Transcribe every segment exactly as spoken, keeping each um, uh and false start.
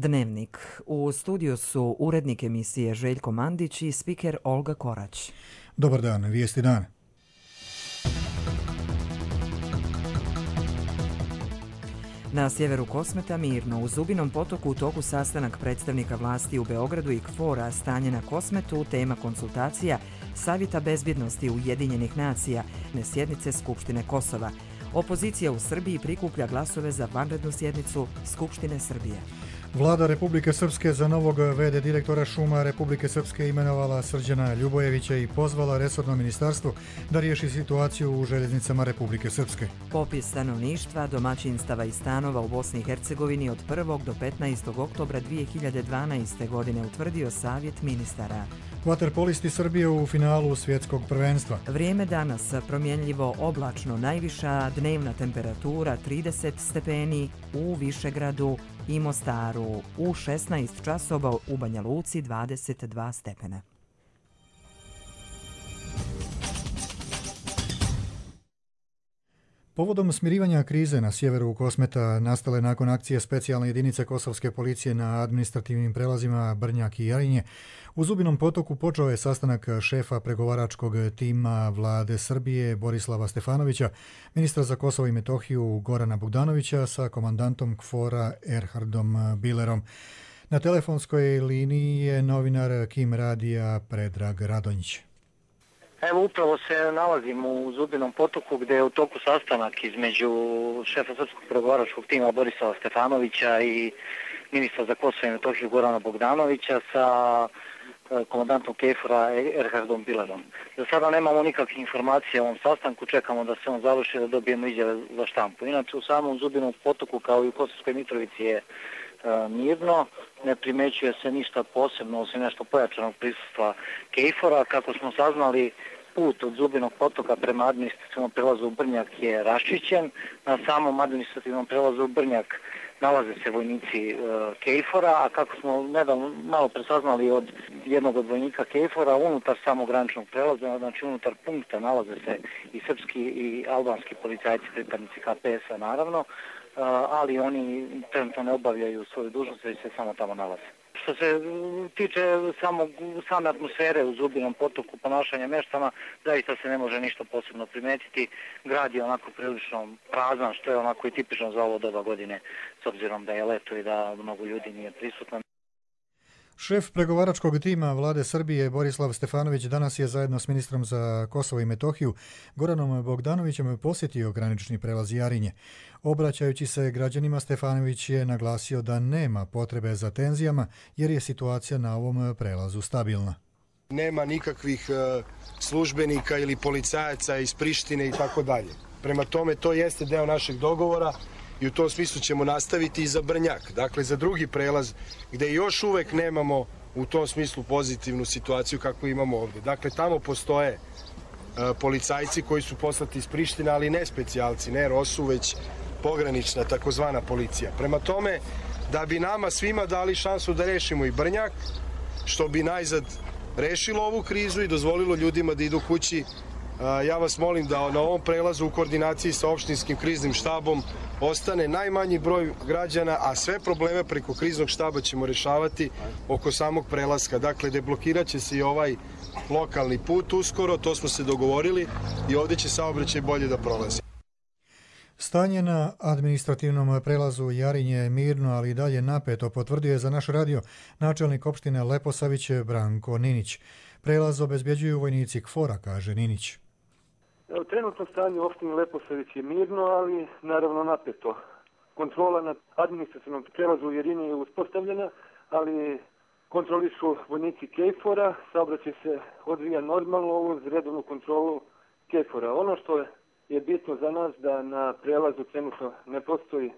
Dnevnik. U studiju su urednik emisije Željko Mandić i spiker Olga Korać. Dobar dan, vijesti dana. Na sjeveru Kosmeta mirno, u Zubinom potoku u toku sastanak predstavnika vlasti u Beogradu i KFOR-a stanje na Kosmetu, tema konsultacija Savjeta bezbjednosti Ujedinjenih nacija, sjednice Skupštine Kosova. Opozicija u Srbiji prikuplja glasove za vanrednu sjednicu Skupštine Srbije. Vlada Republike Srpske za novog v d direktora šuma Republike Srpske imenovala Srđana Ljubojevića i pozvala resorno ministarstvo da riješi situaciju u željeznicama Republike Srpske. Popis stanovništva, domaćinstava i stanova u Bosni i Hercegovini od prvog do petnaestog oktobra dvije hiljade dvanaeste. godine utvrdio Savjet ministara. Vaterpolisti Srbije u finalu svjetskog prvenstva. Vrijeme danas promjenljivo oblačno, najviša dnevna temperatura trideset stepeni u Višegradu i Mostaru, u šesnaest časova u Banja Luci dvadeset dva stepena. Povodom smirivanja krize na sjeveru Kosmeta nastale nakon akcije specijalne jedinice kosovske policije na administrativnim prelazima Brnjak i Jarinje, u Zubinom potoku počeo je sastanak šefa pregovaračkog tima vlade Srbije Borislava Stefanovića, ministra za Kosovo i Metohiju Gorana Bogdanovića sa komandantom KFOR-a Erhardom Bilerom. Na telefonskoj liniji je novinar Kim radija Predrag Radonjić. Evo, upravo se nalazim u Zubinom potoku gdje je u toku sastanak između šefa srpskog pregovaračkog tima Borislava Stefanovića i ministra za Kosovo i Metohiju Gorana Bogdanovića sa komandantom KFOR-a Erhardom Bilerom. Za sada nemamo nikakve informacije o ovom sastanku, čekamo da se on završi da dobijemo izjave za štampu. Inače, u samom Zubinom potoku kao i u Kosovskoj Mitrovici je mirno, ne primećuje se ništa posebno osim nešto pojačanog prisustva KFOR-a. Kako smo saznali, put od Zubinog potoka prema administrativnom prelazu u Brnjak je raščišćen. Na samom administrativnom prelazu u Brnjak nalaze se vojnici KFOR-a, a kako smo nedavno malo presaznali od jednog od vojnika KFOR-a, unutar samog graničnog prelaza, znači unutar punkta, nalaze se i srpski i albanski policajci, pripadnici K P S-a naravno, ali oni trenutno ne obavljaju svoju dužnost, već se samo tamo nalaze. Što se tiče samog, same atmosfere u Zubinom potoku, ponašanja meštana, zaista se ne može ništa posebno primetiti. Grad je onako prilično prazan, što je onako i tipično za ovo doba godine, s obzirom da je leto i da mnogo ljudi nije prisutno. Šef pregovaračkog tima vlade Srbije Borislav Stefanović danas je zajedno s ministrom za Kosovo i Metohiju Goranom Bogdanovićem posjetio granični prelaz Jarinje. Obraćajući se građanima, Stefanović je naglasio da nema potrebe za tenzijama jer je situacija na ovom prelazu stabilna. Nema nikakvih službenika ili policajaca iz Prištine i tako dalje. Prema tome, to jeste deo našeg dogovora i u tom smislu ćemo nastaviti i za Brnjak. Dakle, za drugi prelaz gdje još uvek nemamo u tom smislu pozitivnu situaciju kako imamo ovdje. Dakle, tamo postoje policajci koji su poslati iz Prištine, ali ne specijalci, ne ROSU, već pogranična takozvana policija. Prema tome, da bi nama svima dali šansu da rešimo i Brnjak, što bi najzad rešilo ovu krizu i dozvolilo ljudima da idu kući, ja vas molim da na ovom prelazu u koordinaciji sa opštinskim kriznim štabom ostane najmanji broj građana, a sve probleme preko kriznog štaba ćemo rešavati oko samog prelaska. Dakle, deblokirat će se i ovaj lokalni put uskoro, to smo se dogovorili i ovdje će saobraćaj bolje da prolazi. Stanje na administrativnom prelazu Jarinje je mirno, ali i dalje napeto, potvrdio je za naš radio načelnik opštine Leposavić Branko Ninić. Prelaz obezbjeđuju vojnici KFOR-a, kaže Ninić. Evo, trenutno stanje u opštini Leposavić je mirno, ali naravno napeto. Kontrola na administrativnom prelazu u Jarinje je uspostavljena, ali kontrolišu vojnici KFOR-a, saobraćaj se odvija normalno uz redovnu kontrolu KFOR-a. Ono što je bitno za nas da na prelazu trenutno ne postoji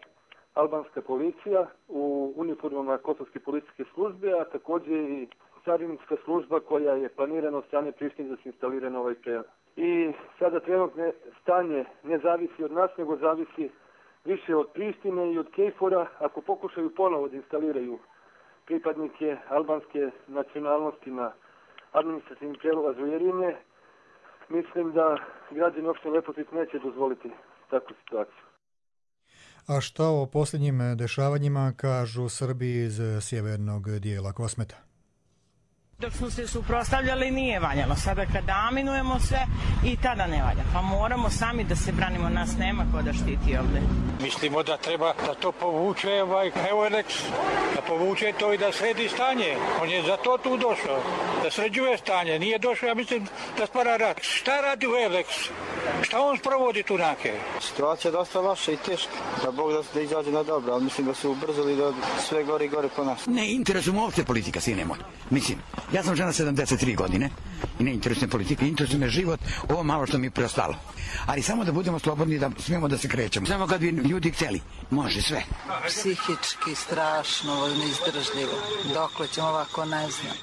albanska policija u uniformama Kosovske policijske službe, a također i carinska služba koja je planirana od strane Prištine da se instalira na ovaj prelaz. I sada trenutno stanje ne zavisi od nas, nego zavisi više od Prištine i od KFOR-a. Ako pokušaju ponovo da instaliraju pripadnike albanske nacionalnosti na administrativni prelaz u Jarinje, mislim da građani opštine Leposavić neće dozvoliti takvu situaciju. A šta o posljednjim dešavanjima kažu Srbi iz sjevernog dijela Kosmeta? Dok smo se suprotstavljali nije valjalo. Sada kada aminujemo sve i tada ne valja. Pa moramo sami da se branimo, nas nema ko da štiti ovde. Mislimo da treba da to povuče ovaj Eulex, da povuče to i da sredi stanje. On je za to tu došao, da sređuje stanje. Nije došao, ja mislim, da stvara rat. Šta radi Eulex? Šta on sprovodi tu nake? Situacija je dosta loša i teška. Da Bog da, da izađe na dobro, ali mislim da su ubrzali da sve gore i gore po nas. Ne interesuje mu uopšte politika, sine moj. Mislim, ja sam žena sedamdeset tri godine i ne interesuje politika, interesuje me život, ovo malo što mi je preostalo. Ali samo da budemo slobodni, da smijemo da se krećemo. Samo kad bi ljudi htjeli, može sve. Psihički strašno, neizdržljivo. Dokle ćemo ovako, ne znam.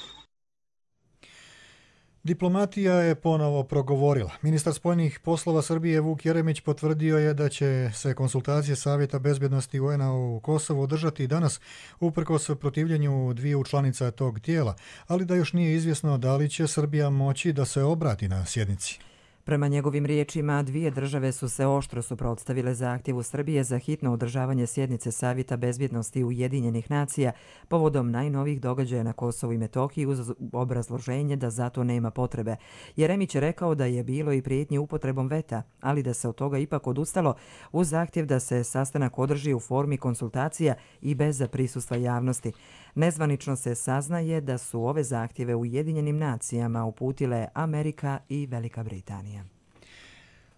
Diplomatija je ponovo progovorila. Ministar spoljnih poslova Srbije Vuk Jeremić potvrdio je da će se konsultacije Savjeta bezbjednosti U N-a u Kosovu održati i danas uprkos protivljenju dviju članica tog tijela, ali da još nije izvjesno da li će Srbija moći da se obrati na sjednici. Prema njegovim riječima, dvije države su se oštro suprotstavile zahtjevu Srbije za hitno održavanje sjednice Savjeta bezbjednosti Ujedinjenih nacija povodom najnovijih događaja na Kosovu i Metohiji uz obrazloženje da zato nema potrebe. Jeremić je rekao da je bilo i prijetnje upotrebom veta, ali da se od toga ipak odustalo uz zahtjev da se sastanak održi u formi konsultacija i bez prisustva javnosti. Nezvanično se saznaje da su ove zahtjeve Ujedinjenim nacijama uputile Amerika i Velika Britanija.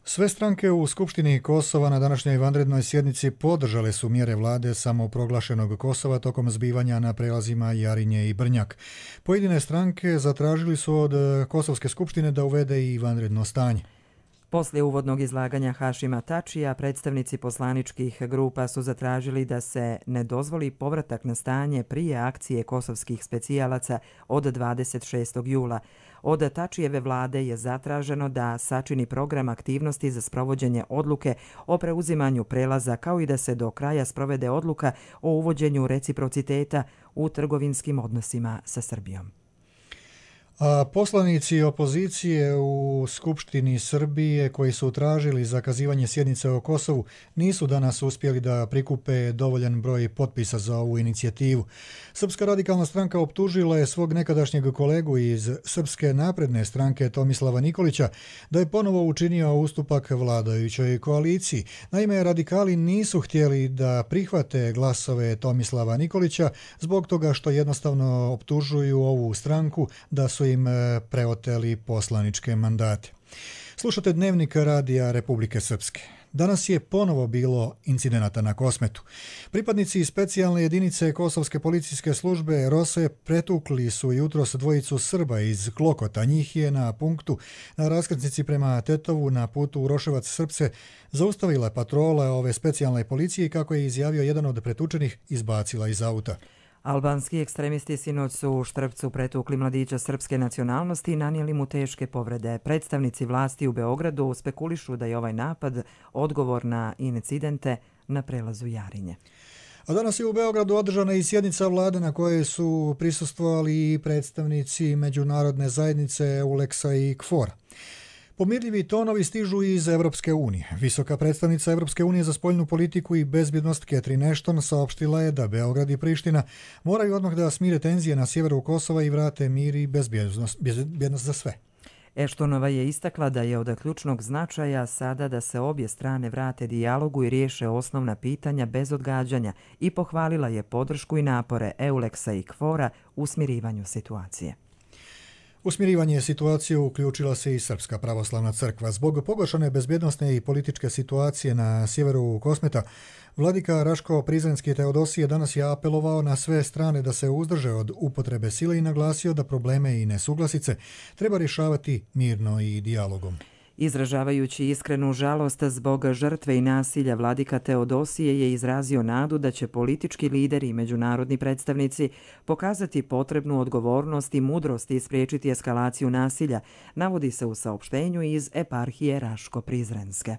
Sve stranke u Skupštini Kosova na današnjoj vanrednoj sjednici podržale su mjere vlade samoproglašenog Kosova tokom zbivanja na prelazima Jarinje i Brnjak. Pojedine stranke zatražili su od Kosovske skupštine da uvede i vanredno stanje. Poslije uvodnog izlaganja Hašima Tačija, predstavnici poslaničkih grupa su zatražili da se ne dozvoli povratak na stanje prije akcije kosovskih specijalaca od dvadeset šestog jula. Od Tačijeve vlade je zatraženo da sačini program aktivnosti za sprovođenje odluke o preuzimanju prelaza, kao i da se do kraja sprovede odluka o uvođenju reciprociteta u trgovinskim odnosima sa Srbijom. A poslanici opozicije u Skupštini Srbije koji su tražili zakazivanje sjednice o Kosovu nisu danas uspjeli da prikupe dovoljan broj potpisa za ovu inicijativu. Srpska radikalna stranka optužila je svog nekadašnjeg kolegu iz Srpske napredne stranke Tomislava Nikolića da je ponovo učinio ustupak vladajućoj koaliciji. Naime, radikali nisu htjeli da prihvate glasove Tomislava Nikolića zbog toga što jednostavno optužuju ovu stranku da su im preoteli poslaničke mandate. Slušate Dnevnik Radija Republike Srpske. Danas je ponovo bilo incidenata na Kosmetu. Pripadnici specijalne jedinice Kosovske policijske službe ROSE pretukli su jutros dvojicu Srba iz Klokota. Njih je na punktu na raskrsnici prema Tetovu na putu Uroševac-Srpce zaustavila patrola ove specijalne policije, kako je izjavio jedan od pretučenih, izbacila iz auta. Albanski ekstremisti sinoć su u Štrpcu pretukli mladića srpske nacionalnosti i nanijeli mu teške povrede. Predstavnici vlasti u Beogradu spekulišu da je ovaj napad odgovor na incidente na prelazu Jarinje. A danas je u Beogradu održana i sjednica vlade na kojoj su prisustvovali i predstavnici međunarodne zajednice Eulexa i Kfora. Pomirljivi tonovi stižu iz Evropske unije. Visoka predstavnica Evropske unije za spoljnu politiku i bezbjednost Catherine Ashton saopštila je da Beograd i Priština moraju odmah da smire tenzije na sjeveru Kosova i vrate mir i bezbjednost, bezbjednost za sve. Eštonova je istakla da je od ključnog značaja sada da se obje strane vrate dijalogu i riješe osnovna pitanja bez odgađanja i pohvalila je podršku i napore Eulexa i Kfora u smirivanju situacije. U smirivanje situacije uključila se i Srpska pravoslavna crkva. Zbog pogoršane bezbjednosne i političke situacije na sjeveru Kosmeta, vladika Raško Prizrenski Teodosije danas je apelovao na sve strane da se uzdrže od upotrebe sile i naglasio da probleme i nesuglasice treba rješavati mirno i dijalogom. Izražavajući iskrenu žalost zbog žrtve i nasilja, vladika Teodosije je izrazio nadu da će politički lideri i međunarodni predstavnici pokazati potrebnu odgovornost i mudrost i spriječiti eskalaciju nasilja, navodi se u saopštenju iz eparhije Raško-Prizrenske.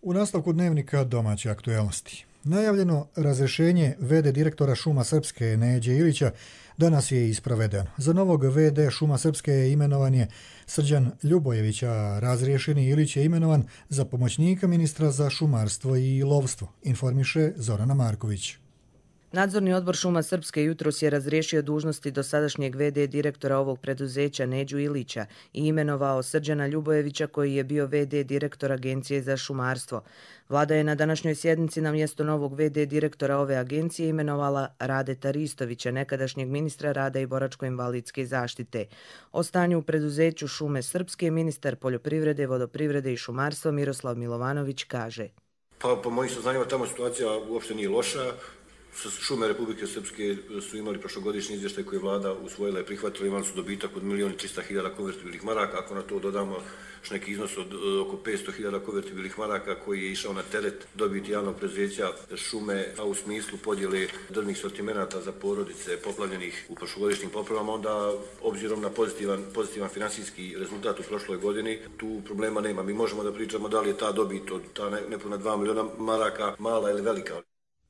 U nastavku Dnevnika domaće aktuelnosti. Najavljeno razrješenje ve de direktora Šuma Srpske Neđe Ilića danas je isprovedeno. Za novog ve de Šuma Srpske je imenovan je Srđan Ljubojević, a razriješeni Ilić je imenovan za pomoćnika ministra za šumarstvo i lovstvo, informiše Zorana Marković. Nadzorni odbor Šuma Srpske jutros je razriješio dužnosti dosadašnjeg ve de direktora ovog preduzeća Neđu Ilića i imenovao Srđana Ljubojevića koji je bio ve de direktor Agencije za šumarstvo. Vlada je na današnjoj sjednici na mjesto novog ve de direktora ove agencije imenovala Radeta Ristovića, nekadašnjeg ministra rada i boračko-invalidske zaštite. O stanju u preduzeću Šume Srpske ministar poljoprivrede, vodoprivrede i šumarstva Miroslav Milovanović kaže. Pa po mojim saznanjima tamo situacija uopšte nije loša. Šume Republike Srpske su imali prošlogodišnji izvještaj koji je vlada usvojila i prihvatila, imali su dobitak od milijon i trista hiljada konvertibilnih maraka, ako na to dodamo još neki iznos od oko petsto hiljada konvertibilnih maraka koji je išao na teret dobiti javnog preduzeća šume, a u smislu podjele drvnih sortimenata za porodice poplavljenih u prošlogodišnjim poplavama, onda obzirom na pozitivan, pozitivan finansijski rezultat u prošloj godini, tu problema nema. Mi možemo da pričamo da li je ta dobit od ta nepuna dva miliona maraka mala ili velika.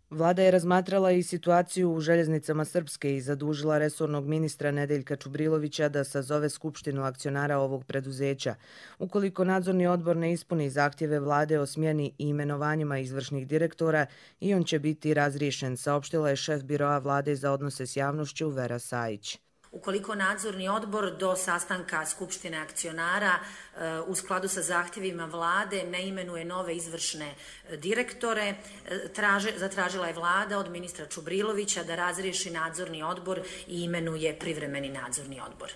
Vlada je razmatrala i situaciju u željeznicama Srpske i zadužila resornog ministra Nedeljka Čubrilovića da sazove skupštinu akcionara ovog preduzeća. Ukoliko nadzorni odbor ne ispuni zahtjeve vlade o smjeni i imenovanjima izvršnih direktora, i on će biti razriješen, saopštila je šef biroa vlade za odnose s javnošću Vera Sajić. Ukoliko nadzorni odbor do sastanka Skupštine akcionara u skladu sa zahtjevima vlade ne imenuje nove izvršne direktore, traže, zatražila je vlada od ministra Čubrilovića da razriješi nadzorni odbor i imenuje privremeni nadzorni odbor.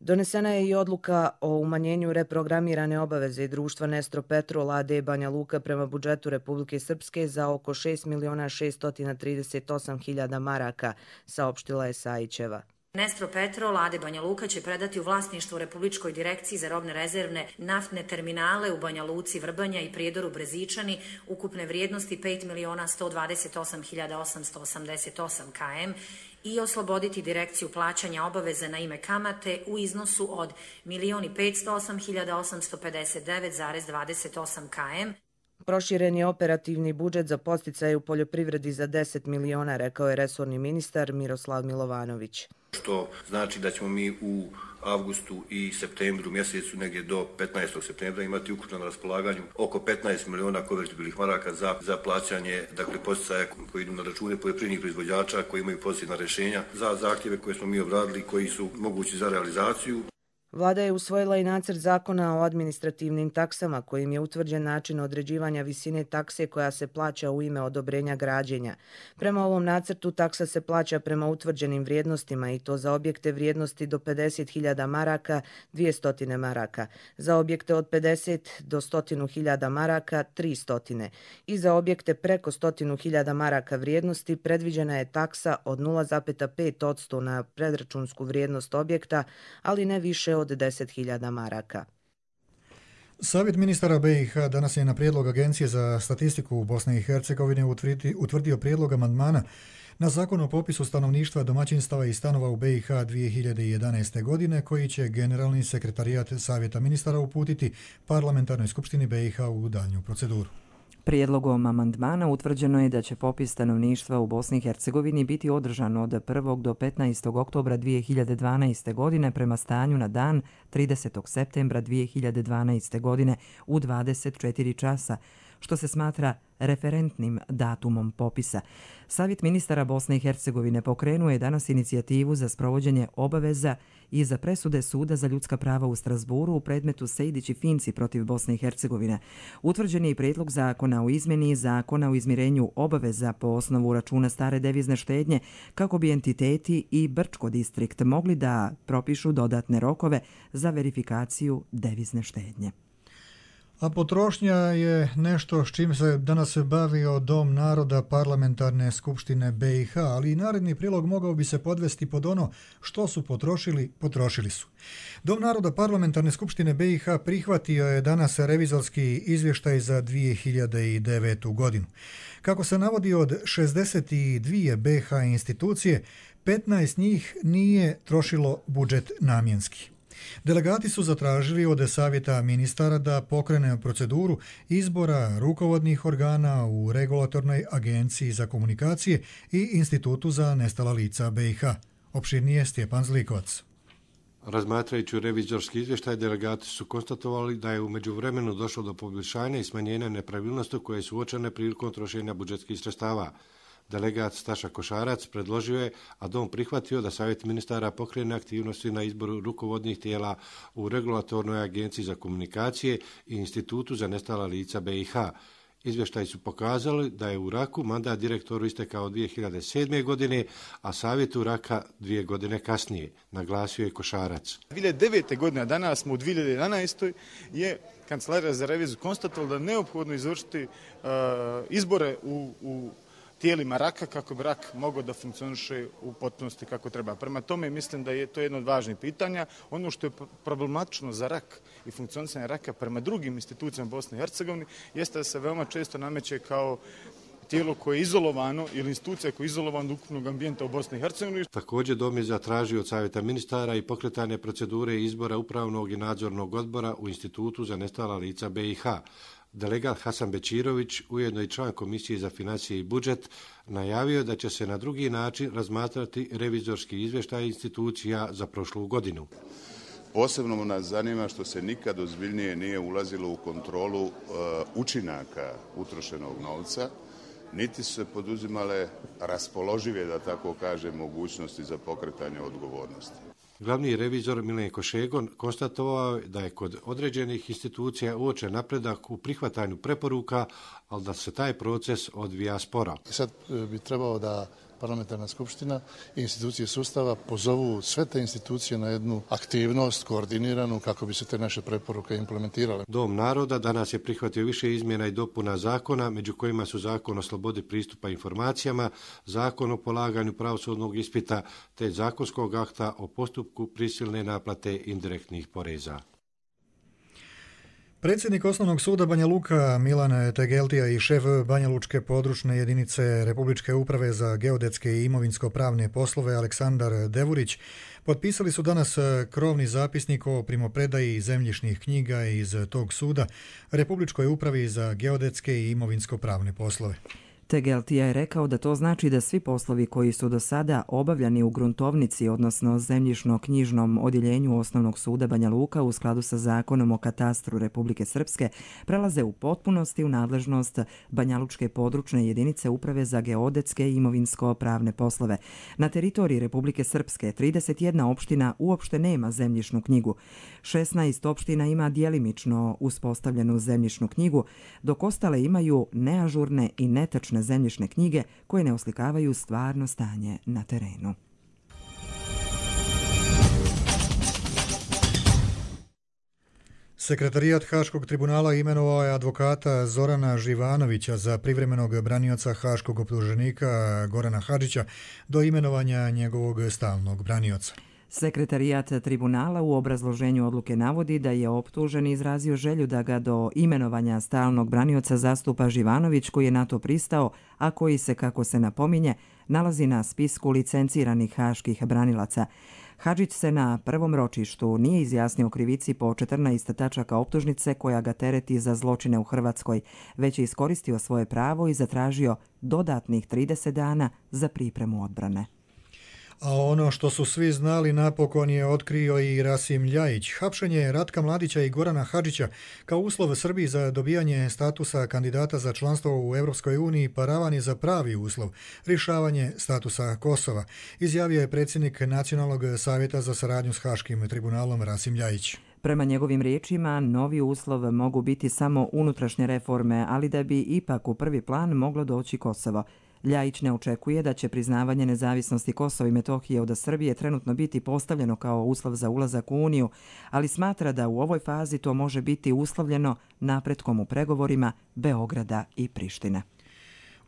Donesena je i odluka o umanjenju reprogramirane obaveze društva Nestro Petrol a de Banja Luka prema budžetu Republike Srpske za oko šest miliona šeststo trideset osam hiljada maraka, saopštila je Sajićeva. Nestro Petrol a de Banja Luka će predati u vlasništvo Republičkoj direkciji za robne rezervne naftne terminale u Banja Luci, Vrbanja i Prijedoru Brezičani ukupne vrijednosti pet miliona sto dvadeset osam hiljada osamsto osamdeset osam km i osloboditi direkciju plaćanja obaveze na ime kamate u iznosu od milion petsto osam hiljada osamsto pedeset devet zarez dvadeset osam km. Proširen je operativni budžet za podsticaje u poljoprivredi za deset miliona, rekao je resorni ministar Miroslav Milovanović. Što znači da ćemo mi u avgustu i septembru mjesecu, negdje do petnaestog septembra, imati ukupno na raspolaganju oko petnaest miliona konvertibilnih maraka za, za plaćanje, dakle, podsticaja koji idu na račune poljoprivrednih proizvođača koji imaju pozitivna rješenja za zahtjeve koje smo mi obradili, koji su mogući za realizaciju. Vlada je usvojila i nacrt zakona o administrativnim taksama kojim je utvrđen način određivanja visine takse koja se plaća u ime odobrenja građenja. Prema ovom nacrtu taksa se plaća prema utvrđenim vrijednostima i to za objekte vrijednosti do pedeset hiljada maraka dvjesto maraka, za objekte od pedeset do sto hiljada maraka tristo i za objekte preko sto hiljada maraka vrijednosti predviđena je taksa od nula zarez pet posto na predračunsku vrijednost objekta, ali ne više od deset hiljada maraka. Savjet ministara be i ha danas je na prijedlog Agencije za statistiku u Bosne i Hercegovine utvrdio prijedlog amandmana na zakon o popisu stanovništva, domaćinstava i stanova u be i ha dvije hiljade jedanaeste. godine, koji će Generalni sekretarijat Savjeta ministara uputiti Parlamentarnoj skupštini be i ha u daljnju proceduru. Prijedlogom amandmana utvrđeno je da će popis stanovništva u Bosni i Hercegovini biti održan od prvog do petnaestog oktobra dvije hiljade dvanaeste. godine prema stanju na dan tridesetog septembra dvije hiljade dvanaeste. godine u dvadeset četiri časa, što se smatra referentnim datumom popisa. Savjet ministara Bosne i Hercegovine pokrenuo je danas inicijativu za sprovođenje obaveza i za presude Suda za ljudska prava u Strasburu u predmetu Sejdić i Finci protiv Bosne i Hercegovine. Utvrđen je i prijedlog zakona o izmjeni zakona o izmirenju obaveza po osnovu računa stare devizne štednje kako bi entiteti i Brčko distrikt mogli da propišu dodatne rokove za verifikaciju devizne štednje. A potrošnja je nešto s čim se danas bavio Dom naroda Parlamentarne skupštine be i ha, ali i naredni prilog mogao bi se podvesti pod ono što su potrošili, potrošili su. Dom naroda Parlamentarne skupštine be i ha prihvatio je danas revizorski izvještaj za dvije hiljade devetu. godinu. Kako se navodi od šezdeset dvije be ha institucije, petnaest njih nije trošilo budžet namjenski. Delegati su zatražili od Savjeta ministara da pokrene proceduru izbora rukovodnih organa u Regulatornoj agenciji za komunikacije i Institutu za nestala lica B i H. Opširnije Stjepan Zlikovac. Razmatrajući revizorski izvještaj, delegati su konstatovali da je u međuvremenu došlo do poboljšanja i smanjenja nepravilnosti koje su uočene prilikom trošenja budžetskih sredstava. Delegat Staša Košarac predložio je, a Dom prihvatio da Savjet ministara pokrene aktivnosti na izboru rukovodnih tijela u Regulatornoj agenciji za komunikacije i Institutu za nestala lica B i H. Izvještaji su pokazali da je u Raku mandat direktoru istekao dvije hiljade sedme. godine, a savjetu Raka dvije godine kasnije, naglasio je Košarac. dvije hiljade devete. godine, a danas smo u dvije hiljade jedanaestoj. je Kancelarija za reviziju konstatovala da je neophodno izvršiti uh, izbore u, u tijelima Raka kako bi Rak mogao da funkcioniše u potpunosti kako treba. Prema tome mislim da je to jedno od važnih pitanja. Ono što je problematično za Rak i funkcionisanje Raka prema drugim institucijama Bosne i Hercegovine jeste da se veoma često nameće kao tijelo koje je izolovano ili institucija koja je izolovana od ukupnog ambijenta u Bosni i Hercegovini. Također Dom je zatražio od Savjeta ministara i pokretanje procedure izbora upravnog i nadzornog odbora u Institutu za nestala lica B i H. Delegat Hasan Bečirović, ujedno i član Komisije za financije i budžet, najavio da će se na drugi način razmatrati revizorski izvještaj institucija za prošlu godinu. Posebno nas zanima što se nikad ozbiljnije nije ulazilo u kontrolu uh, učinaka utrošenog novca, niti su se poduzimale raspoložive, da tako kažem, mogućnosti za pokretanje odgovornosti. Glavni revizor Milenko Šegon konstatovao da je kod određenih institucija uočen napredak u prihvatanju preporuka, ali da se taj proces odvija sporo. Sad bi trebao da parlamentarna skupština i institucije sustava pozovu sve te institucije na jednu aktivnost koordiniranu kako bi se te naše preporuke implementirale. Dom naroda danas je prihvatio više izmjena i dopuna zakona, među kojima su Zakon o slobodi pristupa informacijama, Zakon o polaganju pravosudnog ispita te zakonskog akta o postupku prisilne naplate indirektnih poreza. Predsjednik Osnovnog suda Banja Luka Milan Tegeltija i šef Banja Lučke područne jedinice Republičke uprave za geodetske i imovinsko-pravne poslove Aleksandar Devurić potpisali su danas krovni zapisnik o primopredaji zemljišnih knjiga iz tog suda Republičkoj upravi za geodetske i imovinsko-pravne poslove. Tegeltija je rekao da to znači da svi poslovi koji su do sada obavljani u gruntovnici, odnosno zemljišno-knjižnom odjeljenju Osnovnog suda Banja Luka u skladu sa Zakonom o katastru Republike Srpske, prelaze u potpunosti u nadležnost Banja Lučke područne jedinice Uprave za geodetske i imovinsko-pravne poslove. Na teritoriji Republike Srpske trideset jedna opština uopšte nema zemljišnu knjigu. šesnaest opština ima djelimično uspostavljenu zemljišnu knjigu, dok ostale imaju neažurne i netačne zemljišne knjige koje ne oslikavaju stvarno stanje na terenu. Sekretarijat Haškog tribunala imenovao je advokata Zorana Živanovića za privremenog branioca haškog optuženika Gorana Hadžića do imenovanja njegovog stalnog branioca. Sekretarijat tribunala u obrazloženju odluke navodi da je optužen izrazio želju da ga do imenovanja stalnog branioca zastupa Živanović, koji je na to pristao, a koji se, kako se napominje, nalazi na spisku licenciranih haških branilaca. Hadžić se na prvom ročištu nije izjasnio krivici po četrnaest tačaka optužnice koja ga tereti za zločine u Hrvatskoj, već je iskoristio svoje pravo i zatražio dodatnih trideset dana za pripremu odbrane. A ono što su svi znali napokon je otkrio i Rasim Ljajić. Hapšenje Ratka Mladića i Gorana Hadžića kao uslov Srbiji za dobijanje statusa kandidata za članstvo u Europskoj uniji paravan je za pravi uslov, rješavanje statusa Kosova, izjavio je predsjednik Nacionalnog savjeta za saradnju s Haškim tribunalom Rasim Ljajić. Prema njegovim riječima, novi uslov mogu biti samo unutrašnje reforme, ali da bi ipak u prvi plan moglo doći Kosovo. Ljajić ne očekuje da će priznavanje nezavisnosti Kosova i Metohije od Srbije trenutno biti postavljeno kao uslov za ulazak u Uniju, ali smatra da u ovoj fazi to može biti uslovljeno napretkom u pregovorima Beograda i Prištine.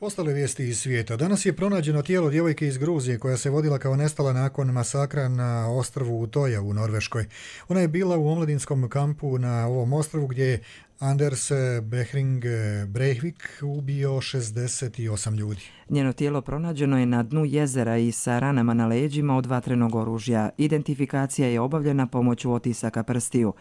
Ostale vijesti iz svijeta. Danas je pronađeno tijelo djevojke iz Gruzije koja se vodila kao nestala nakon masakra na ostrvu Utoja u Norveškoj. Ona je bila u omladinskom kampu na ovom ostrvu gdje je Anders Behring Breivik ubio šezdeset osam ljudi. Njeno tijelo pronađeno je na dnu jezera i sa ranama na leđima od vatrenog oružja. Identifikacija je obavljena pomoću otisaka prstiju.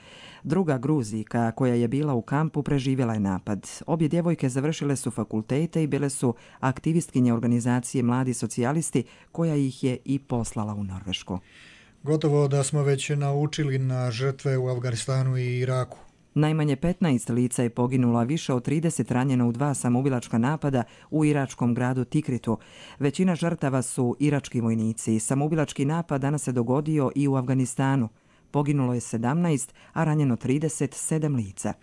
Druga Gruzijka koja je bila u kampu preživjela je napad. Obje djevojke završile su fakultete i bile su aktivistkinje organizacije Mladi socijalisti koja ih je i poslala u Norvešku. Gotovo da smo već naučili na žrtve u Afganistanu i Iraku. Najmanje petnaest lica je poginulo, a više od trideset ranjeno u dva samoubilačka napada u iračkom gradu Tikritu. Većina žrtava su irački vojnici. Samoubilački napad danas se dogodio i u Afganistanu. Poginulo je sedamnaest, a ranjeno trideset sedam lica.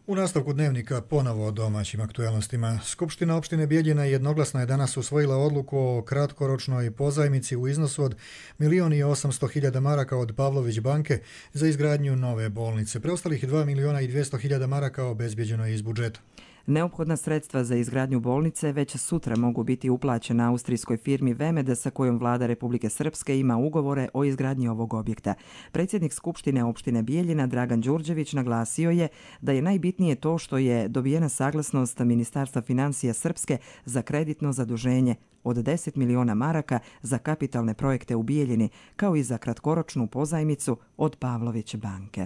U nastavku dnevnika ponovo o domaćim aktualnostima. Skupština opštine Bijeljina jednoglasno je danas usvojila odluku o kratkoročnoj pozajmici u iznosu od milion i osamsto hiljada maraka od Pavlović banke za izgradnju nove bolnice. Preostalih dva miliona i dvjesto hiljada maraka obezbijeđeno je iz budžeta. Neophodna sredstva za izgradnju bolnice već sutra mogu biti uplaćena austrijskoj firmi Vemede sa kojom vlada Republike Srpske ima ugovore o izgradnji ovog objekta. Predsjednik Skupštine opštine Bijeljina Dragan Đurđević naglasio je da je najbitnije to što je dobijena saglasnost Ministarstva financija Srpske za kreditno zaduženje od deset miliona maraka za kapitalne projekte u Bijeljini, kao i za kratkoročnu pozajmicu od Pavlović banke.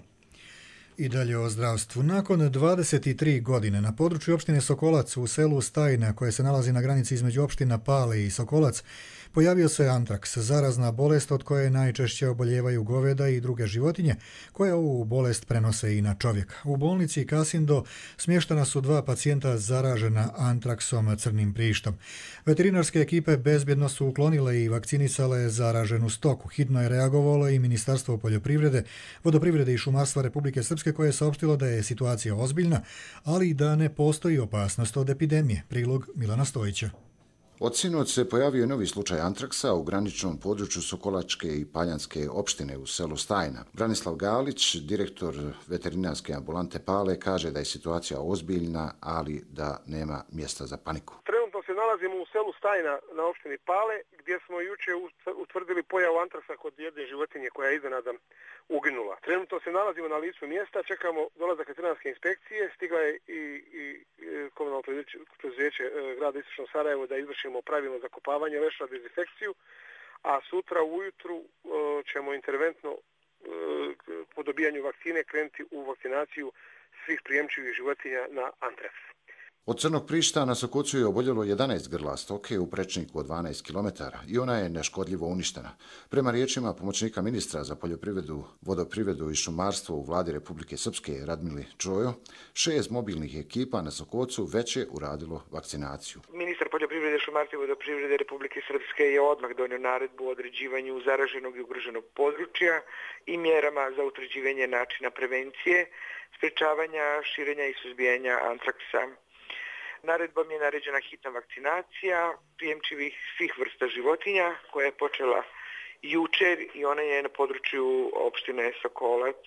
I dalje o zdravstvu. Nakon dvadeset tri godine na području opštine Sokolac u selu Stajna, koje se nalazi na granici između opština Pale i Sokolac, pojavio se antraks, zarazna bolest od koje najčešće oboljevaju goveda i druge životinje, koje ovu bolest prenose i na čovjeka. U bolnici Kasindo smještena su dva pacijenta zaražena antraksom crnim prištom. Veterinarske ekipe bezbjedno su uklonile i vakcinisale zaraženu stoku. Hitno je reagovalo i Ministarstvo poljoprivrede, vodoprivrede i šumarstva Republike Srpske, koje je saopštilo da je situacija ozbiljna, ali i da ne postoji opasnost od epidemije. Prilog Milana Stojića. Od sinoć se pojavio novi slučaj antraksa u graničnom području Sokolačke i Paljanske opštine u selu Stajna. Branislav Galić, direktor veterinarske ambulante Pale, kaže da je situacija ozbiljna, ali da nema mjesta za paniku. Trenutno se nalazimo u selu Stajna na opštini Pale, gdje smo juče utvrdili pojavu antraksa kod jedne životinje koja je iznenada uginula. Trenutno se nalazimo na licu mjesta, čekamo dolazak veterinarske inspekcije, stigla je i, i komunalno preduzeće grada Istočno Sarajevo da izvršimo pravilno zakopavanje leša, dezinfekciju, a sutra ujutru ćemo interventno po dobijanju vakcine krenuti u vakcinaciju svih prijemčivih životinja na antraks. Od crnog prišta na Sokocu je oboljelo jedanaest grla stoke u prečniku od dvanaest kilometara i ona je neškodljivo uništena. Prema riječima pomoćnika ministra za poljoprivredu, vodoprivredu i šumarstvo u vladi Republike Srpske Radmili Čojo, šest mobilnih ekipa na Sokocu već je uradilo vakcinaciju. Ministar poljoprivrede, šumarstva i vodoprivrede Republike Srpske je odmah donio naredbu o određivanju zaraženog i ugroženog područja i mjerama za utvrđivanje načina prevencije, sprečavanja, širenja i suzbijanja antraksa. Naredbom je naređena hitna vakcinacija prijemčivih svih vrsta životinja koja je počela jučer i ona je na području opštine Sokolac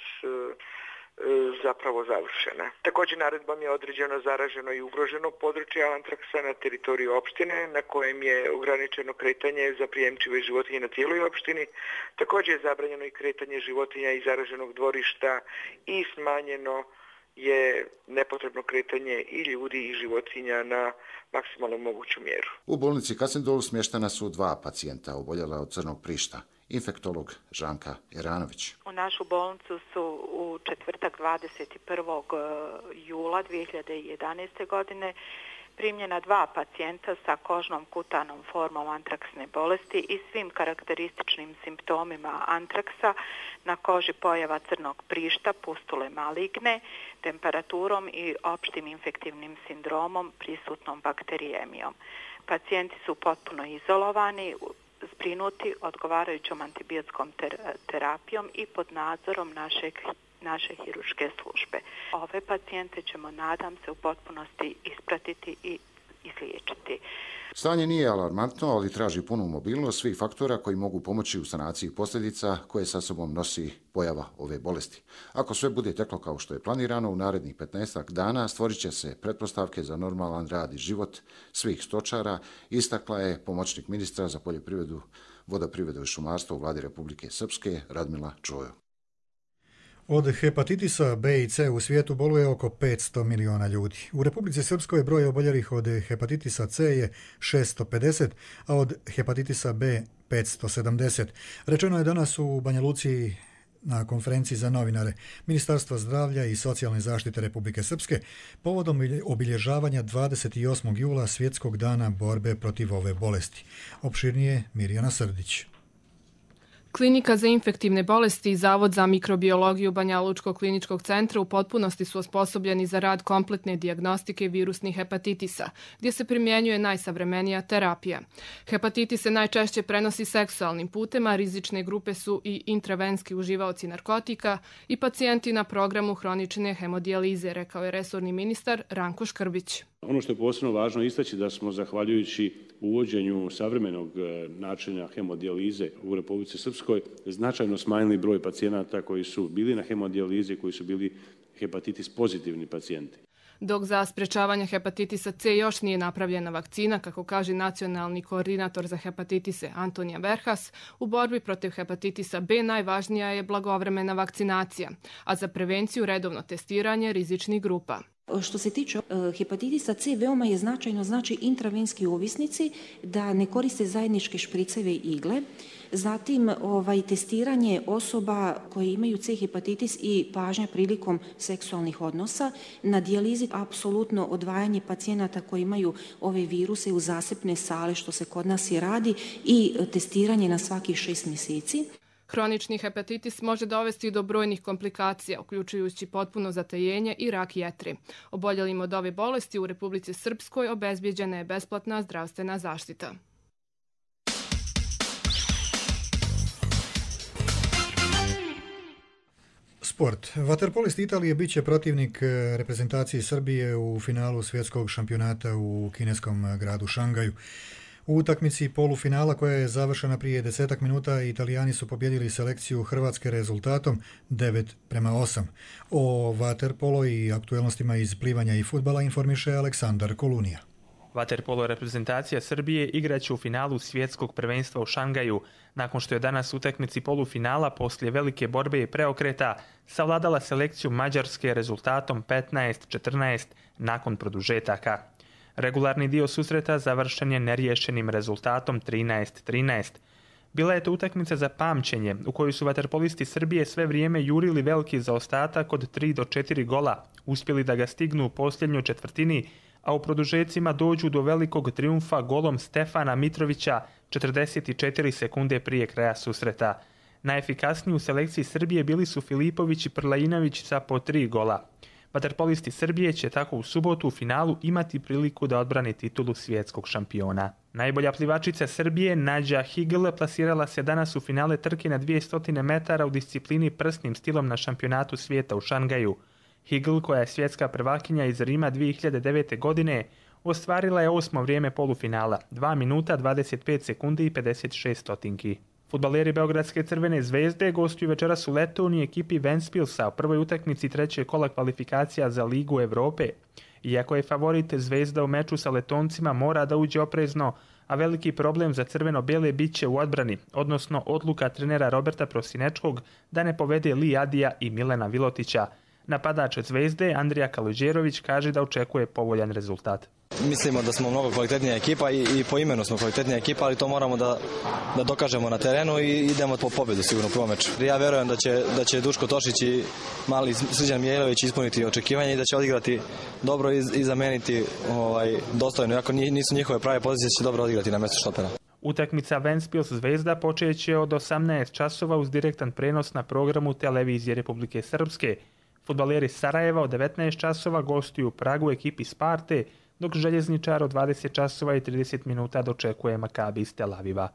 zapravo završena. Također naredbom je određeno zaraženo i ugroženo područje antraksa na teritoriju opštine na kojem je ograničeno kretanje za prijemčive životinje na cijeloj opštini. Također je zabranjeno i kretanje životinja iz zaraženog dvorišta i smanjeno je nepotrebno kretanje i ljudi i životinja na maksimalno moguću mjeru. U bolnici Kasindol smještena su dva pacijenta oboljela od crnog prišta. Infektolog Žanka Jeranović. U našu bolnicu su u četvrtak dvadeset prvog jula dvije hiljade jedanaeste. godine primljena dva pacijenta sa kožnom kutanom formom antraksne bolesti i svim karakterističnim simptomima antraksa, na koži pojava crnog prišta, pustule maligne, temperaturom i opštim infektivnim sindromom prisutnom bakterijemijom. Pacijenti su potpuno izolovani, zbrinuti odgovarajućom antibiotskom terapijom i pod nadzorom našeg naše hiruške službe. Ove pacijente ćemo, nadam se, u potpunosti ispratiti i izliječiti. Stanje nije alarmantno, ali traži punu mobilnost svih faktora koji mogu pomoći u sanaciji posljedica koje sa sobom nosi pojava ove bolesti. Ako sve bude teklo kao što je planirano, u narednih petnaestak dana stvorit će se pretpostavke za normalan rad i život svih stočara, istakla je pomoćnik ministra za poljoprivredu, vodoprivredu i šumarstvo u vladi Republike Srpske Radmila Čojo. Od hepatitisa B i C u svijetu boluje oko petsto miliona ljudi. U Republici Srpskoj broj oboljelih od hepatitisa C je šesto pedeset, a od hepatitisa B petsto sedamdeset. Rečeno je danas u Banja Luci na konferenciji za novinare Ministarstva zdravlja i socijalne zaštite Republike Srpske povodom obilježavanja dvadeset osmog jula Svjetskog dana borbe protiv ove bolesti. Opširnije Mirjana Srdić. Klinika za infektivne bolesti i Zavod za mikrobiologiju Banja Lučkog kliničkog centra u potpunosti su osposobljeni za rad kompletne dijagnostike virusnih hepatitisa, gdje se primjenjuje najsavremenija terapija. Hepatitis se najčešće prenosi seksualnim putem, a rizične grupe su i intravenski uživaoci narkotika i pacijenti na programu hronične hemodijalize, rekao je resorni ministar Ranko Škrbić. Ono što je posebno važno istaći da smo, zahvaljujući uvođenju savremenog načina hemodijalize u Republici Srpskoj, značajno smanjili broj pacijenata koji su bili na hemodijalizi, koji su bili hepatitis pozitivni pacijenti. Dok za sprečavanje hepatitisa C još nije napravljena vakcina, kako kaže nacionalni koordinator za hepatitise Antonija Verhas, u borbi protiv hepatitisa B najvažnija je blagovremena vakcinacija, a za prevenciju redovno testiranje rizičnih grupa. Što se tiče hepatitisa C, veoma je značajno, znači intravenski ovisnici da ne koriste zajedničke špriceve i igle. Zatim ovaj, testiranje osoba koje imaju C hepatitis i pažnja prilikom seksualnih odnosa. Na dijalizi apsolutno odvajanje pacijenata koji imaju ove viruse u zasebne sale, što se kod nas i radi, i testiranje na svakih šest mjeseci. Hronični hepatitis može dovesti do brojnih komplikacija, uključujući potpuno zatajenje i rak jetre. Oboljelim od ove bolesti u Republici Srpskoj obezbijeđena je besplatna zdravstvena zaštita. Sport. Vaterpolist Italije bit će protivnik reprezentaciji Srbije u finalu svjetskog šampionata u kineskom gradu Šangaju. U utakmici polufinala koja je završena prije desetak minuta, Italijani su pobjedili selekciju Hrvatske rezultatom devet prema osam. O vaterpolo i aktuelnostima iz plivanja i fudbala informiše Aleksandar Kolunija. Vaterpolo reprezentacija Srbije igraće u finalu svjetskog prvenstva u Šangaju, nakon što je danas utakmici polufinala poslije velike borbe i preokreta savladala selekciju Mađarske rezultatom petnaest četrnaest nakon produžetaka. Regularni dio susreta završen je neriješenim rezultatom trinaest trinaest. Bila je to utakmica za pamćenje, u kojoj su vaterpolisti Srbije sve vrijeme jurili veliki zaostatak od tri do četiri gola, uspjeli da ga stignu u posljednjoj četvrtini, a u produžecima dođu do velikog trijumfa golom Stefana Mitrovića četrdeset četiri sekunde prije kraja susreta. Najefikasniji u selekciji Srbije bili su Filipović i Prlajinović sa po tri gola. Vaterpolisti Srbije će tako u subotu u finalu imati priliku da odbrani titulu svjetskog šampiona. Najbolja plivačica Srbije, Nađa Higl, plasirala se danas u finale trke na dvjesto metara u disciplini prsnim stilom na šampionatu svijeta u Šangaju. Higl, koja je svjetska prvakinja iz Rima dvije hiljade devete. godine, ostvarila je osmo vrijeme polufinala, dva minuta dvadeset pet sekundi i pedeset šest stotinki. Fudbaleri Beogradske Crvene zvezde gostuju večeras u Letoniji ekipi Ventspilsa u prvoj utakmici trećeg kola kvalifikacija za Ligu Evrope. Iako je favorit, Zvezda u meču sa Letoncima mora da uđe oprezno, a veliki problem za crveno-bele bit će u odbrani, odnosno odluka trenera Roberta Prosinečkog da ne povede Li Adija i Milena Vilotića. Napadač Zvezde, Andrija Kaluđerović, kaže da očekuje povoljan rezultat. Mislimo da smo mnogo kvalitetnija ekipa i, i po imenu smo kvalitetnija ekipa, ali to moramo da, da dokažemo na terenu i idemo po pobjedu sigurno u prvom meču. Ja verujem da će, da će Duško Tošić i mali Srđan Mijailović ispuniti očekivanja i da će odigrati dobro i, i zameniti ovaj, dostojno. Iako nisu njihove prave pozicije, će dobro odigrati na mjestu štopera. Utakmica Ventspils Zvezda počeće od osamnaest časova uz direktan prenos na programu televizije Republike Srpske. Fudbaleri Sarajeva od devetnaest časova gostuju u Pragu ekipi Sparte, dok željezničar od dvadeset časova i trideset minuta dočekuje Makabi iz Tel Aviva.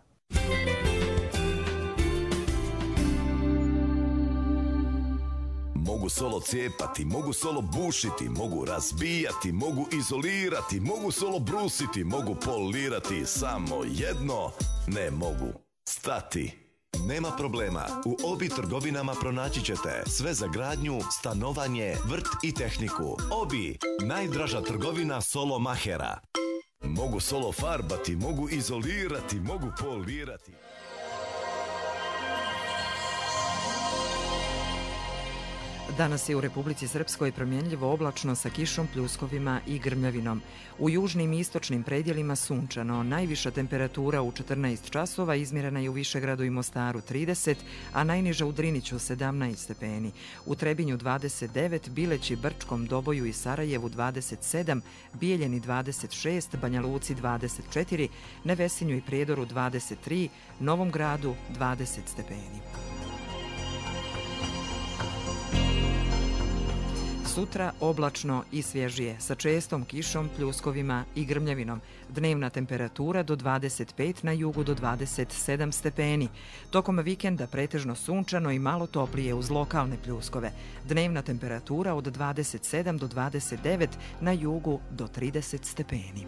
Mogu solo cijepati, mogu solo bušiti, mogu razbijati, mogu izolirati, mogu solo brusiti, mogu polirati, samo jedno ne mogu stati. Nema problema, u Obi trgovinama pronaći ćete sve za gradnju, stanovanje, vrt i tehniku. Obi, najdraža trgovina solo mahera. Mogu solo farbati, mogu izolirati, mogu polirati. Danas je u Republici Srpskoj promjenljivo oblačno sa kišom, pljuskovima i grmljavinom. U južnim i istočnim predjelima sunčano. Najviša temperatura u četrnaest časova izmjerena je u Višegradu i Mostaru trideset, a najniža u Driniću sedamnaest stepeni. U Trebinju dvadeset devet, Bileći, Brčkom, Doboju i Sarajevu dvadeset sedam, Bijeljeni dvadeset šest, Banja Luci dvadeset četiri, Nevesinju i Prijedoru dvadeset tri, Novom Gradu dvadeset stepeni. Sutra oblačno i svježije, sa čestom kišom, pljuskovima i grmljavinom. Dnevna temperatura do dvadeset pet, na jugu do dvadeset sedam stepeni. Tokom vikenda pretežno sunčano i malo toplije uz lokalne pljuskove. Dnevna temperatura od dvadeset sedam do dvadeset devet, na jugu do trideset stepeni.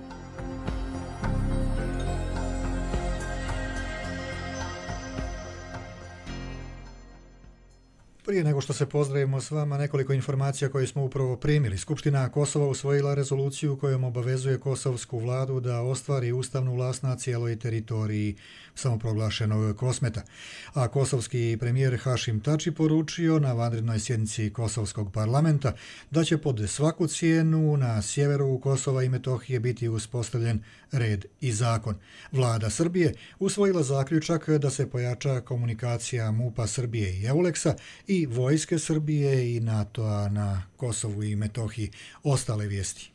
Prije nego što se pozdravimo s vama, nekoliko informacija koje smo upravo primili. Skupština Kosova usvojila rezoluciju kojom obavezuje kosovsku vladu da ostvari ustavnu vlast na cijeloj teritoriji samoproglašenog Kosmeta. A kosovski premijer Hašim Tači poručio na vanrednoj sjednici Kosovskog parlamenta da će pod svaku cijenu na sjeveru Kosova i Metohije biti uspostavljen red i zakon. Vlada Srbije usvojila zaključak da se pojača komunikacija MUP-a Srbije i Euleksa i vojske Srbije i NATO-a na Kosovu i Metohiji. Ostale vijesti.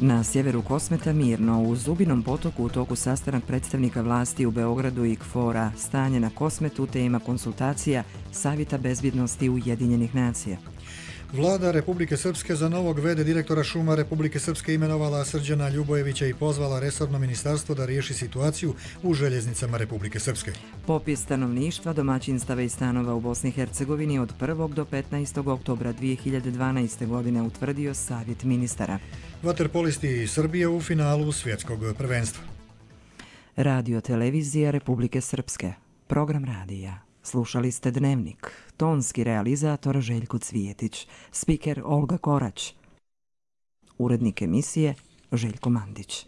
Na sjeveru Kosmeta mirno, u Zubinom potoku u toku sastanak predstavnika vlasti u Beogradu i KFOR-a. Stanje na Kosmetu, tema konsultacija Savjeta bezbjednosti Ujedinjenih nacija. Vlada Republike Srpske za novog ve de direktora šuma Republike Srpske imenovala Srđana Ljubojevića i pozvala resorno ministarstvo da riješi situaciju u željeznicama Republike Srpske. Popis stanovništva, domaćinstava i stanova u Bosni i Hercegovini od prvog do petnaestog oktobra dvije hiljade dvanaeste. godine utvrdio Savjet ministara. Vaterpolisti Srbije u finalu svjetskog prvenstva. Radio televizija Republike Srpske. Program radija. Slušali ste Dnevnik. Tonski realizator Željko Cvijetić. Spiker Olga Korać. Urednik emisije Željko Mandić.